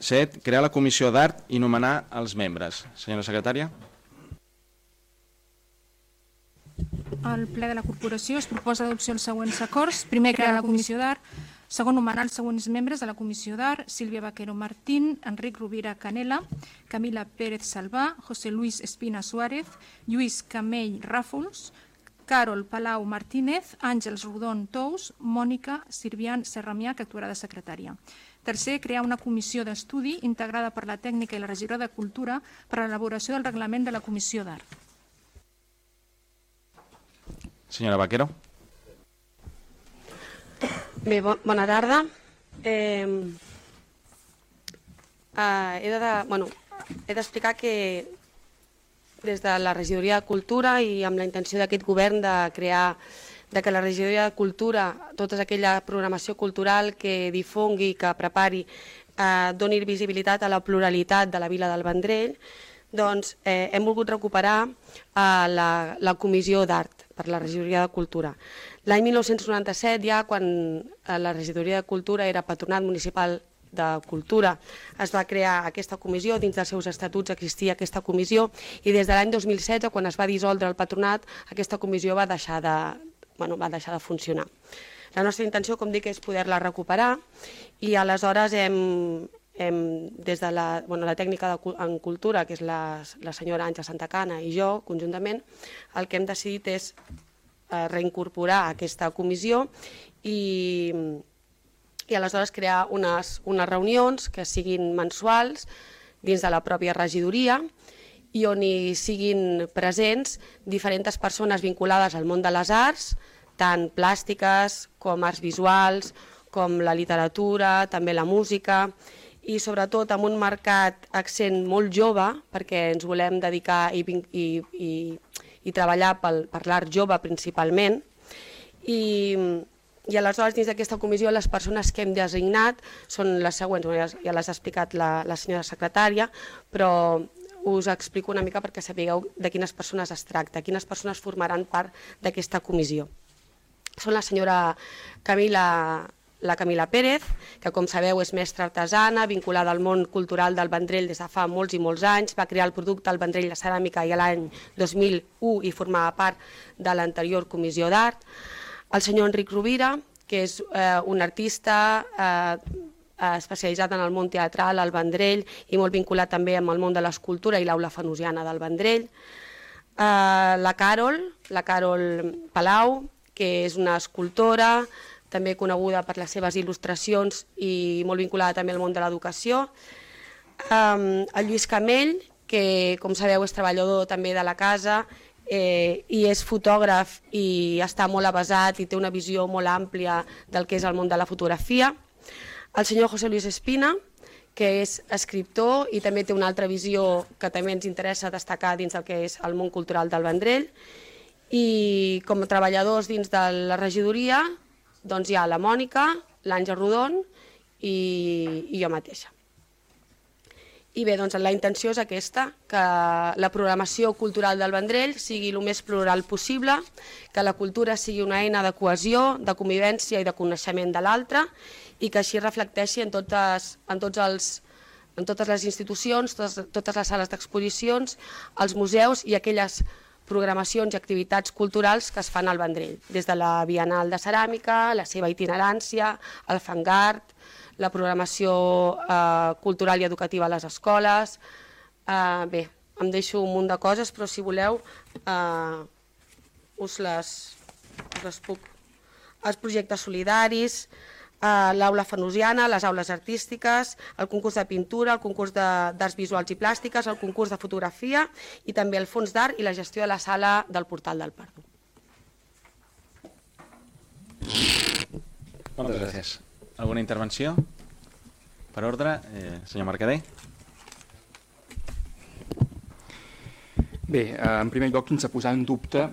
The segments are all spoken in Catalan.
7. Crear la comissió d'art i nomenar els membres. Senyora secretària. Al ple de la corporació es proposa d'adopció els següents acords. Primer, crear la comissió d'art. Segon, nomenar els següents membres de la comissió d'art: Sílvia Vaquero Martín, Enric Rovira Canela, Camila Pérez Salvà, José Luis Espina Suárez, Lluís Camell Ràfols, Carol Palau Martínez, Àngels Rodon Tous, Mònica Sirvian Serramià, que actuarà de secretària. Tercer, crear una comissió d'estudi integrada per la tècnica i la regidora de Cultura per a l'elaboració del reglament de la comissió d'art. Senyora Vaquero. Bé, bona tarda. He d'explicar que des de la regidoria de Cultura i amb la intenció d'aquest govern de crear que la regidoria de Cultura, tota aquella programació cultural que difongui, que prepari, doni visibilitat a la pluralitat de la vila del Vendrell, doncs hem volgut recuperar la comissió d'art per la regidoria de Cultura. L'any 1997, ja quan la regidoria de Cultura era patronat municipal de Cultura, es va crear aquesta comissió, dins dels seus estatuts existia aquesta comissió, i des de l'any 2016, quan es va dissoldre el patronat, aquesta comissió va deixar de funcionar. La nostra intenció, com dic, és poder-la recuperar, i aleshores des de la tècnica en cultura, que és la senyora Àngela Santacana i jo, conjuntament, el que hem decidit és reincorporar aquesta comissió i aleshores crear unes reunions que siguin mensuals dins de la pròpia regidoria i on hi siguin presents diferents persones vinculades al món de les arts, tant plàstiques com arts visuals, com la literatura, també la música, i sobretot amb un marcat accent molt jove, perquè ens volem dedicar i treballar per l'art jove principalment, i aleshores dins d'aquesta comissió les persones que hem designat són les següents, ja les ha explicat la senyora secretària, però us explico una mica perquè sapigueu de quines persones es tracta, quines persones formaran part d'aquesta comissió. Són la senyora Camila Pérez, que com sabeu és mestra artesana, vinculada al món cultural del Vendrell des de fa molts i molts anys, va crear el producte El Vendrell de Ceràmica i l'any 2001 i formava part de l'anterior comissió d'art. El senyor Enric Rovira, que és un artista especialitzat en el món teatral al Vendrell i molt vinculat també amb el món de l'escultura i l'aula fenosiana del Vendrell. La Carol Palau, que és una escultora, també coneguda per les seves il·lustracions i molt vinculada també al món de l'educació. El Lluís Camell, que com sabeu és treballador també de la casa i és fotògraf i està molt avesat i té una visió molt àmplia del que és el món de la fotografia. El senyor José Luis Espina, que és escriptor i també té una altra visió que també ens interessa destacar dins del que és el món cultural del Vendrell. I com a treballadors dins de la regidoria doncs hi ha la Mònica, l'Àngel Rodon i jo mateixa. I bé, doncs la intenció és aquesta, que la programació cultural del Vendrell sigui el més plural possible, que la cultura sigui una eina de cohesió, de convivència i de coneixement de l'altre i que així reflecteixi en totes les institucions, totes les sales d'exposicions, els museus i aquelles programacions i activitats culturals que es fan al Vendrell, des de la Bienal de Ceràmica, la seva itinerància, el Fangart, la programació cultural i educativa a les escoles. Bé, em deixo un munt de coses, però si voleu us les puc. Els projectes solidaris, l'aula fenosiana, les aules artístiques, el concurs de pintura, el concurs d'arts visuals i plàstiques, el concurs de fotografia i també el fons d'art i la gestió de la sala del Portal del Pardo. Moltes gràcies. Alguna intervenció? Per ordre, senyor Mercader. Bé, en primer lloc, sense posar en dubte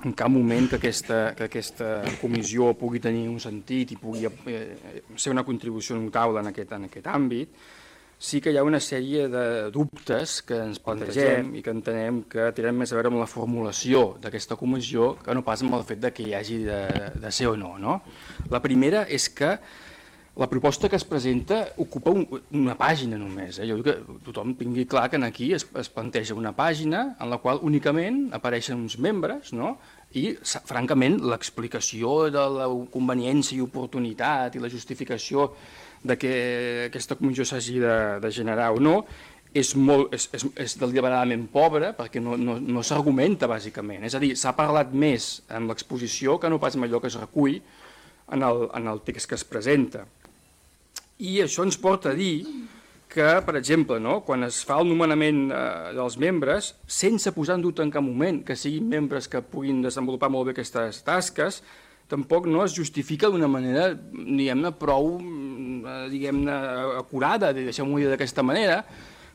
en cap moment que aquesta comissió pugui tenir un sentit i pugui ser una contribució notable en aquest àmbit, sí que hi ha una sèrie de dubtes que ens plantegem i que entenem que tenen més a veure amb la formulació d'aquesta comissió que no pas amb el fet que hi hagi de ser o no. La primera és que La proposta que es presenta ocupa una pàgina només. Jo dic que tothom tingui clar que aquí es planteja una pàgina en la qual únicament apareixen uns membres, no? I, francament, l'explicació de la conveniència i oportunitat i la justificació de que aquesta comissió s'hagi de generar o no és deliberadament pobra perquè no s'argumenta, bàsicament. És a dir, s'ha parlat més en l'exposició que no pas en allò que es recull en el text que es presenta. I això ens porta a dir que, per exemple, quan es fa el nomenament dels membres, sense posar en dubte en cap moment que siguin membres que puguin desenvolupar molt bé aquestes tasques, tampoc no es justifica d'una manera, diguem-ne, prou acurada, deixem-ho dir d'aquesta manera,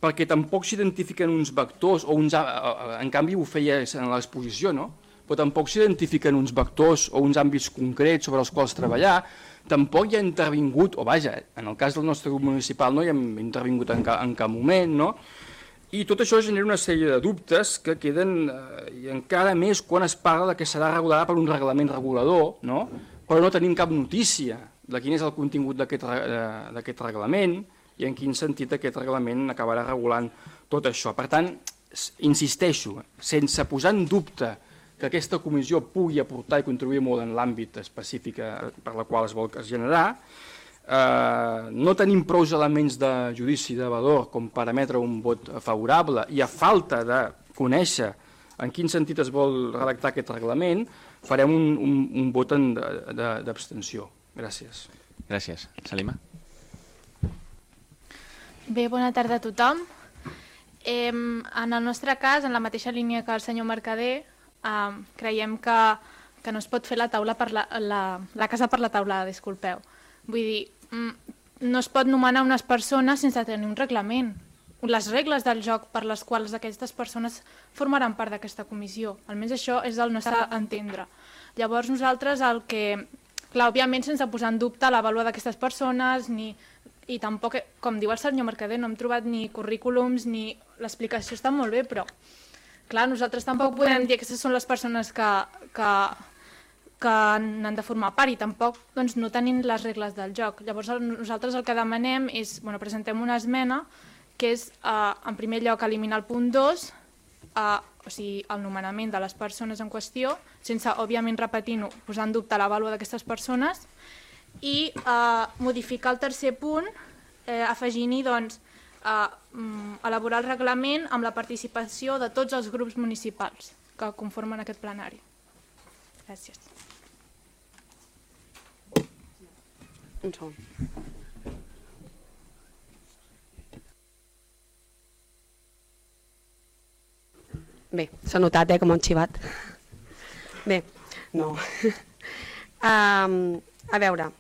perquè tampoc s'identifiquen uns vectors, en canvi ho feia en l'exposició, no? Però tampoc s'identifiquen uns vectors o uns àmbits concrets sobre els quals treballar, tampoc hi ha intervingut, o vaja, en el cas del nostre grup municipal no hi hem intervingut en cap moment, no? I tot això genera una sèrie de dubtes que queden, i encara més quan es parla que serà regulada per un reglament regulador, no? Però no tenim cap notícia de quin és el contingut d'aquest reglament i en quin sentit aquest reglament acabarà regulant tot això. Per tant, insisteixo, sense posar en dubte que aquesta comissió pugui aportar i contribuir molt en l'àmbit específic per la qual es vol generar, no tenim prou elements de judici de valor com per emetre un vot favorable i a falta de conèixer en quin sentit es vol redactar aquest reglament, farem un vot d'abstenció. Gràcies. Gràcies. Salima? Bé, bona tarda a tothom. En el nostre cas, en la mateixa línia que el senyor Mercader, creiem que no es pot fer la casa per la taulada, disculpeu. Vull dir, no es pot nomenar unes persones sense tenir un reglament. Les regles del joc per les quals aquestes persones formaran part d'aquesta comissió. Almenys això és el nostre entendre. Llavors nosaltres el que... Clar, òbviament sense posar en dubte la vàlua d'aquestes persones, i tampoc, com diu el senyor Mercader, no hem trobat ni currículums ni... L'explicació està molt bé, però clar, nosaltres tampoc podem dir que aquestes són les persones que n'han de formar part i tampoc no tenim les regles del joc. Llavors nosaltres el que demanem és, presentem una esmena que és, en primer lloc, eliminar el punt 2, o sigui, el nomenament de les persones en qüestió, sense, òbviament, repetint-ho, posar en dubte la vàlua d'aquestes persones, i modificar el tercer punt, afegint-hi, doncs, elaborar el reglament amb la participació de tots els grups municipals que conformen aquest plenari. Gràcies. Un segon. Bé, s'ha notat, com un xivat. Bé, no. A veure,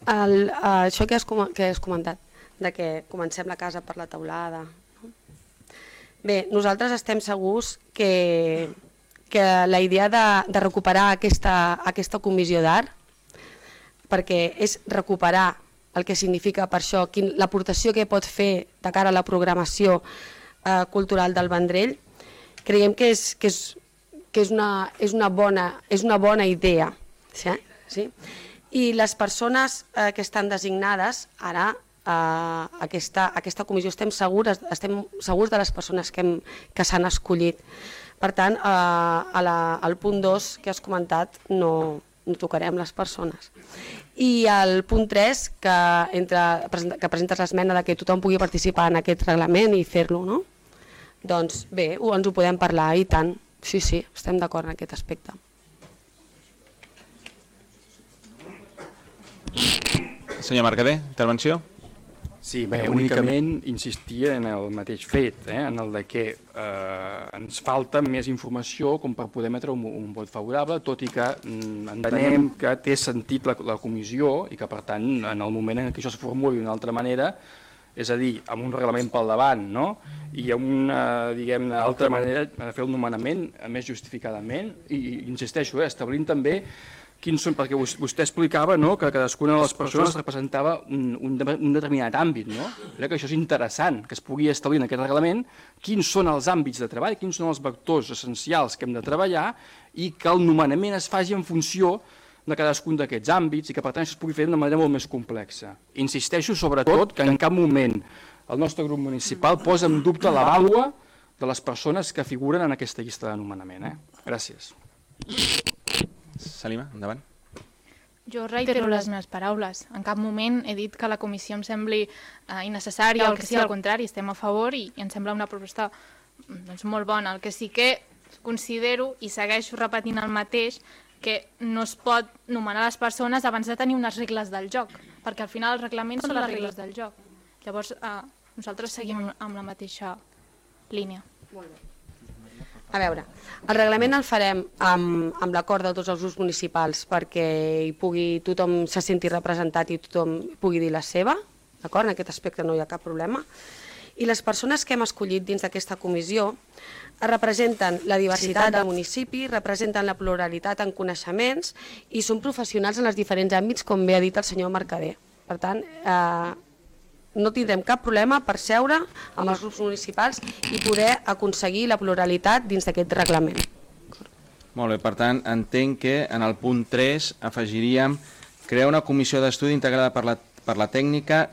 això que has comentat, de que comencem la casa per la taulada. Bé, nosaltres estem segurs que la idea de recuperar aquesta comissió d'art, perquè és recuperar el que significa per això, l'aportació que pot fer de cara a la programació cultural del Vendrell, creiem que és una bona idea. Sí? I les persones que estan designades ara aquesta comissió, estem segurs de les persones que s'han escollit. Per tant, al punt 2 que has comentat no tocarem les persones. I al punt 3, que presentes l'esmena que tothom pugui participar en aquest reglament i fer-lo, no? Doncs bé, ens ho podem parlar i tant. Sí, estem d'acord en aquest aspecte. Senyor Mercader, intervenció? Sí, bé, únicament insistia en el mateix fet, en el que ens falta més informació com per poder emetre un vot favorable, tot i que entenem que té sentit la comissió i que, per tant, en el moment en què això es formuli d'una altra manera, és a dir, amb un reglament pel davant, no? I amb una, diguem-ne, altra manera de fer el nomenament més justificadament, i insisteixo, establint també quins són, perquè vostè explicava que cadascuna de les persones representava un determinat àmbit, no? Crec que això és interessant, que es pugui establir en aquest reglament quins són els àmbits de treball, quins són els vectors essencials que hem de treballar i que el nomenament es faci en funció de cadascun d'aquests àmbits i que per tant es pugui fer d'una manera molt més complexa. Insisteixo sobretot que en cap moment el nostre grup municipal posa en dubte la vàlua de les persones que figuren en aquesta llista de nomenament. Gràcies. Salima, endavant. Jo reitero les meves paraules. En cap moment he dit que la comissió em sembli innecessària o el que sigui, al contrari, estem a favor i em sembla una proposta molt bona. El que sí que considero, i segueixo repetint el mateix, que no es pot nomenar les persones abans de tenir unes regles del joc, perquè al final els reglaments són les regles del joc. Llavors, nosaltres seguim amb la mateixa línia. A veure, el reglament el farem amb l'acord de tots els grups municipals perquè tothom se senti representat i tothom pugui dir la seva, d'acord? En aquest aspecte no hi ha cap problema. I les persones que hem escollit dins d'aquesta comissió representen la diversitat del municipi, representen la pluralitat en coneixements i són professionals en els diferents àmbits, com bé ha dit el senyor Mercader. Per tant, no tindrem cap problema per seure amb els grups municipals i poder aconseguir la pluralitat dins d'aquest reglament. Molt bé, per tant, entenc que en el punt 3 afegiríem crear una comissió d'estudi integrada per la tècnica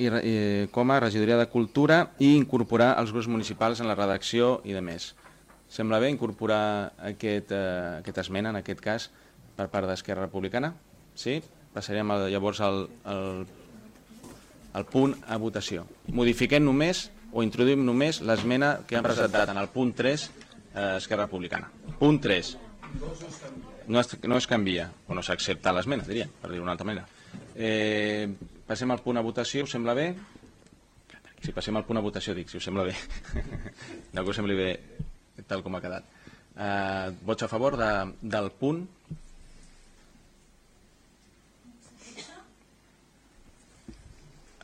com a regidoria de cultura i incorporar els grups municipals en la redacció i de més. Sembla bé incorporar aquesta esmena, en aquest cas, per part d'Esquerra Republicana? Sí? Passaríem llavors al punt a votació. Modifiquem només o introduïm només l'esmena que han presentat en el punt 3 Esquerra Republicana. Punt 3. No es canvia, o no s'accepta l'esmena, diria, per dir-ho d'una altra manera. Passem al punt a votació, us sembla bé? Si passem al punt a votació, dic, si us sembla bé. No que us sembli bé tal com ha quedat. Vots a favor del punt?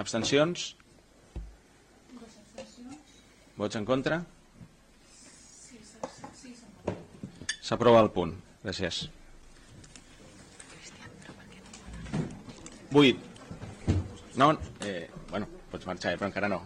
Abstencions? Vots en contra? S'aprova el punt. Gràcies. 8. No? Bueno, pots marxar, però encara no.